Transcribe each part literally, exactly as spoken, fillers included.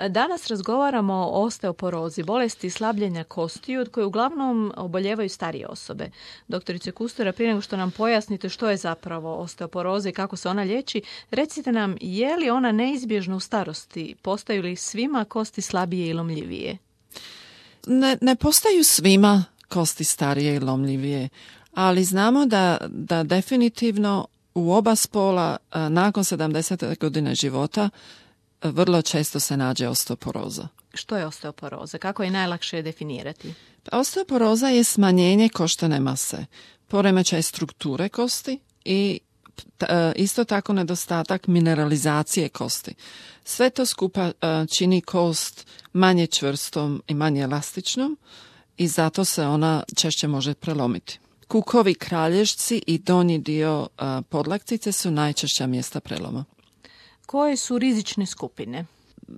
Danas razgovaramo o osteoporozi, bolesti slabljenja kostiju od koje uglavnom oboljevaju starije osobe. Doktorice Kustura, prije nego što nam pojasnite što je zapravo osteoporoza i kako se ona liječi, recite nam je li ona neizbježna u starosti, postaju li svima kosti slabije i lomljivije? Ne, ne postaju svima kosti starije i lomljivije, ali znamo da, da definitivno u oba spola nakon sedamdesete godine života vrlo često se nađe osteoporoza. Što je osteoporoza? Kako je najlakše definirati? Osteoporoza je smanjenje koštane mase, poremećaj strukture kosti i isto tako nedostatak mineralizacije kosti. Sve to skupa čini kost manje čvrstom i manje elastičnom i zato se ona češće može prelomiti. Kukovi, kralježci i donji dio podlaktice su najčešća mjesta preloma. Koje su rizične skupine?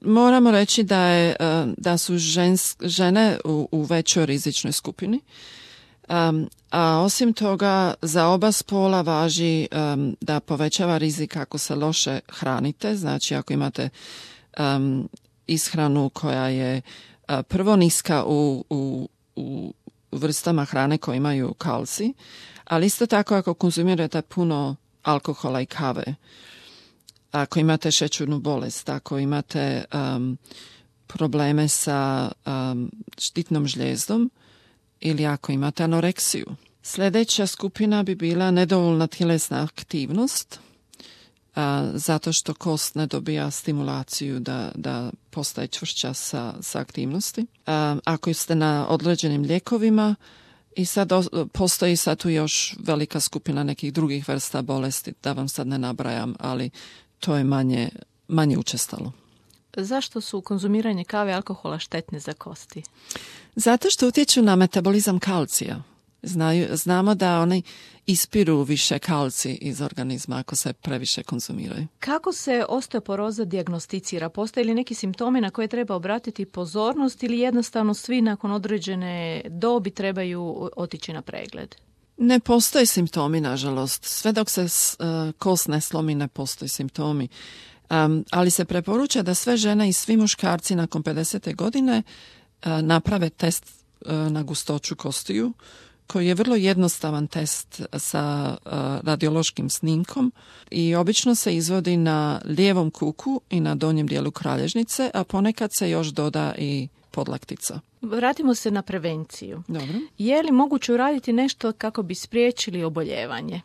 Moramo reći da, je, da su žens, žene u, u većoj rizičnoj skupini. Um, a osim toga za oba spola važi um, da povećava rizik ako se loše hranite, znači ako imate um, ishranu koja je uh, prvo niska u, u, u vrstama hrane koje imaju kalcij, ali isto tako ako konzumirate puno alkohola i kave, ako imate šećernu bolest, ako imate um, probleme sa um, štitnom žljezdom ili ako imate anoreksiju. Sljedeća skupina bi bila nedovoljna tjelesna aktivnost, a, zato što kost ne dobija stimulaciju da, da postaje čvršća sa, sa aktivnosti. A, ako ste na određenim lijekovima, i sad postoji sad tu još velika skupina nekih drugih vrsta bolesti, da vam sad ne nabrajam, ali to je manje, manje učestalo. Zašto su konzumiranje kave i alkohola štetne za kosti? Zato što utječu na metabolizam kalcija. Znaju, znamo da oni ispiru više kalcij iz organizma ako se previše konzumiraju. Kako se osteoporoza dijagnosticira? Postoje li neki simptomi na koje treba obratiti pozornost ili jednostavno svi nakon određene dobi trebaju otići na pregled? Ne postoje simptomi, nažalost. Sve dok se uh, kost ne slomi, ne postoje simptomi. Um, ali se preporuča da sve žene i svi muškarci nakon pedesete godine uh, naprave test uh, na gustoću kostiju, koji je vrlo jednostavan test sa uh, radiološkim snimkom i obično se izvodi na lijevom kuku i na donjem dijelu kralježnice, a ponekad se još doda i podlaktica. Vratimo se na prevenciju. Dobro. Je li moguće uraditi nešto kako bi spriječili oboljevanje?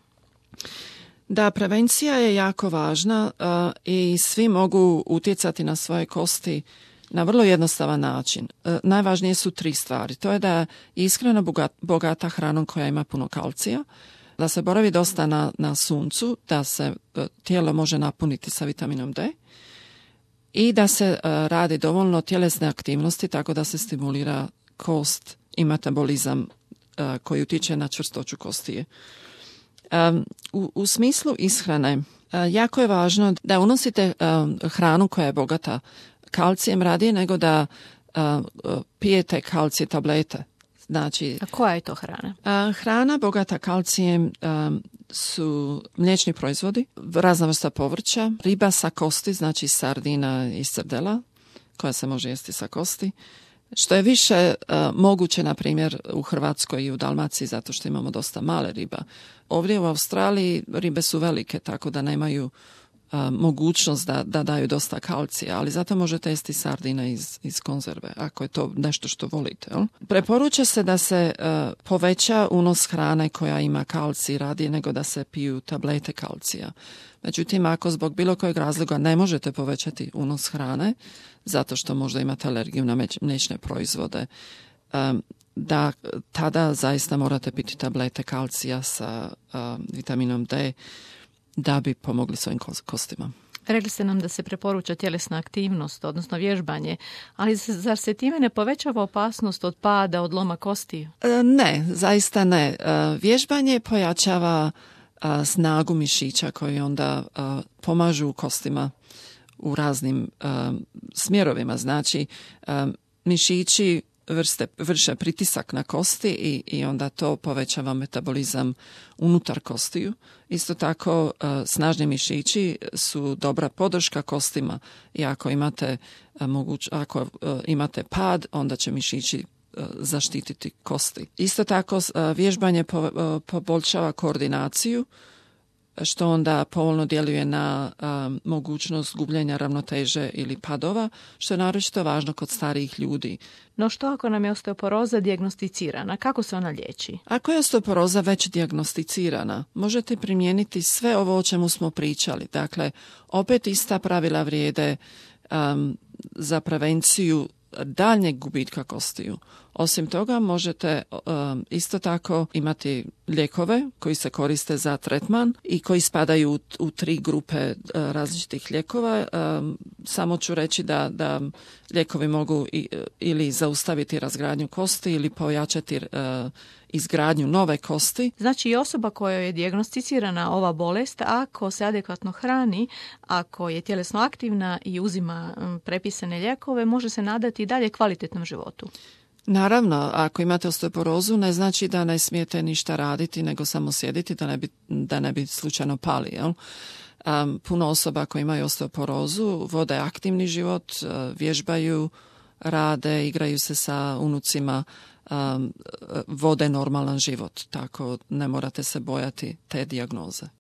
Da, prevencija je jako važna uh, i svi mogu utjecati na svoje kosti na vrlo jednostavan način. Uh, najvažnije su tri stvari. To je da je ishrana bogata, bogata hranom koja ima puno kalcija, da se boravi dosta na, na suncu, da se uh, tijelo može napuniti sa vitaminom D i da se uh, radi dovoljno tjelesne aktivnosti tako da se stimulira kost i metabolizam uh, koji utječe na čvrstoću kostije. Um, u, u smislu ishrane uh, jako je važno da unosite um, hranu koja je bogata kalcijem radije nego da uh, pijete kalcije tablete. Znači, a koja je to hrana? Uh, hrana bogata kalcijem um, su mliječni proizvodi, razna vrsta povrća, riba sa kosti, znači sardina i srdela koja se može jesti sa kosti. Što je više uh, moguće, na primjer, u Hrvatskoj i u Dalmaciji, zato što imamo dosta male riba. Ovdje u Australiji ribe su velike, tako da nemaju uh, mogućnost da, da daju dosta kalcija, ali zato možete jesti sardine iz, iz konzerve, ako je to nešto što volite. Jel? Preporuča se da se uh, poveća unos hrane koja ima kalcij radije nego da se piju tablete kalcija. Međutim, ako zbog bilo kojeg razloga ne možete povećati unos hrane, zato što možda imate alergiju na mliječne proizvode, um, da tada zaista morate piti tablete kalcija sa um, vitaminom D da bi pomogli svojim kostima. Rekli ste nam da se preporuča tjelesna aktivnost, odnosno vježbanje, ali zar se time ne povećava opasnost od pada, od loma kostiju? Ne, zaista ne. Vježbanje pojačava snagu mišića koji onda pomažu kostima u raznim smjerovima. Znači, mišići vrste, vrše pritisak na kosti i, i onda to povećava metabolizam unutar kostiju. Isto tako uh, snažni mišići su dobra podrška kostima i ako imate, uh, moguć, ako, uh, imate pad, onda će mišići uh, zaštititi kosti. Isto tako uh, vježbanje po, uh, poboljšava koordinaciju, što onda povoljno djeluje na um, mogućnost gubljenja ravnoteže ili padova, što je naročito važno kod starijih ljudi. No što ako nam je osteoporoza dijagnosticirana? Kako se ona liječi? Ako je osteoporoza već dijagnosticirana, možete primijeniti sve ovo o čemu smo pričali. Dakle, opet ista pravila vrijede um, za prevenciju daljnjeg gubitka kostiju. Osim toga, možete um, isto tako imati lijekove koji se koriste za tretman i koji spadaju u, u tri grupe uh, različitih lijekova. Um, samo ću reći da, da lijekovi mogu i, ili zaustaviti razgradnju kosti ili pojačati uh, izgradnju nove kosti. Znači i osoba kojoj je dijagnosticirana ova bolest, ako se adekvatno hrani, ako je tjelesno aktivna i uzima um, prepisane lijekove, može se nadati i dalje kvalitetnom životu. Naravno, ako imate osteoporozu, ne znači da ne smijete ništa raditi, nego samo sjediti da ne bi, da ne bi slučajno pali. Jel? Um, puno osoba koji imaju osteoporozu vode aktivni život, uh, vježbaju, rade, igraju se sa unucima, um, vode normalan život, tako ne morate se bojati te dijagnoze.